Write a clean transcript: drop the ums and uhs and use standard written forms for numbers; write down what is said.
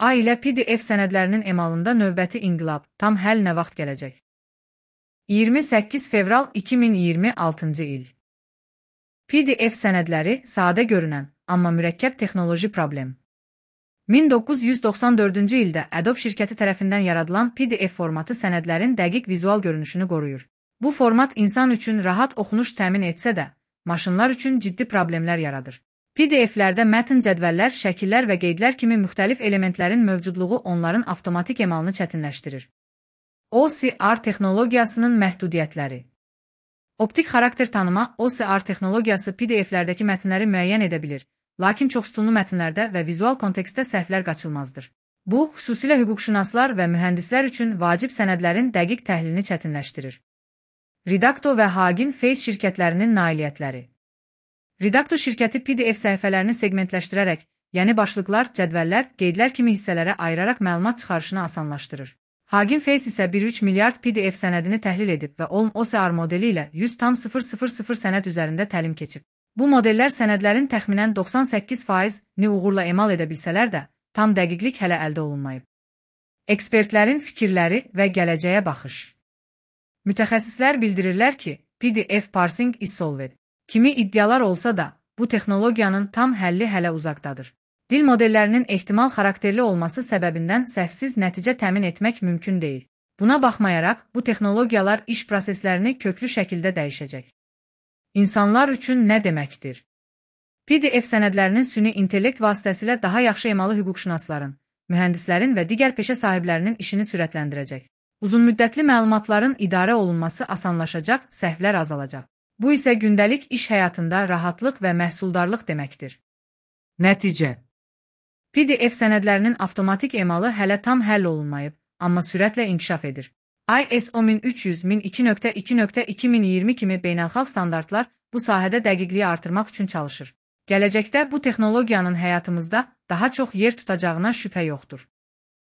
A ilə PDF sənədlərinin emalında növbəti inqilab, tam həll nə vaxt gələcək? 28 fevral 2026-cı il. PDF sənədləri sadə görünən, amma mürəkkəb texnoloji problem. 1994-cü ildə Adobe şirkəti tərəfindən yaradılan PDF formatı sənədlərin dəqiq vizual görünüşünü qoruyur. Bu format insan üçün rahat oxunuş təmin etsə də, maşınlar üçün ciddi problemlər yaradır. PDF-lərdə mətn, cədvəllər, şəkillər və qeydlər kimi müxtəlif elementlərin mövcudluğu onların avtomatik emalını çətinləşdirir. OCR texnologiyasının məhdudiyyətləri. Optik xarakter tanıma OCR texnologiyası PDF-lərdəki mətnləri müəyyən edə bilir, lakin çoxsütunlu mətnlərdə və vizual kontekstdə səhvlər qaçılmazdır. Bu, xüsusilə hüquqşünaslar və mühəndislər üçün vacib sənədlərin dəqiq təhlilini çətinləşdirir. Redacto və Hugging Face şirkətlərinin nailiyyətləri. Redacto şirkəti PDF səhifələrini segmentləşdirərək, yəni başlıqlar, cədvəllər, qeydlər kimi hissələrə ayıraraq məlumat çıxarışını asanlaşdırır. Hugging Face isə 1,3 milyard PDF sənədini təhlil edib və OCR modeli ilə 100,000 sənəd üzərində təlim keçib. Bu modellər sənədlərin təxminən 98%-ni uğurla emal edə bilsələr də, tam dəqiqlik hələ əldə olunmayıb. Ekspertlərin fikirləri və gələcəyə baxış. Mütəxəssislər bildirirlər ki, PDF parsing is solved kimi iddialar olsa da, bu texnologiyanın tam həlli hələ uzaqdadır. Dil modellərinin ehtimal xarakterli olması səbəbindən səhvsiz nəticə təmin etmək mümkün deyil. Buna baxmayaraq, bu texnologiyalar iş proseslərini köklü şəkildə dəyişəcək. İnsanlar üçün nə deməkdir? PDF sənədlərinin süni intellekt vasitəsilə daha yaxşı emalı hüquqşünasların, mühəndislərin və digər peşə sahiblərinin işini sürətləndirəcək. Uzunmüddətli məlumatların idarə olunması asanlaşacaq, səhvlər azalacaq. Bu isə gündəlik iş həyatında rahatlıq və məhsuldarlıq deməkdir. Nəticə. PDF sənədlərinin avtomatik emalı hələ tam həll olunmayıb, amma sürətlə inkişaf edir. ISO 13000-2.2.2020 kimi beynəlxalq standartlar bu sahədə dəqiqliyi artırmaq üçün çalışır. Gələcəkdə bu texnologiyanın həyatımızda daha çox yer tutacağına şübhə yoxdur.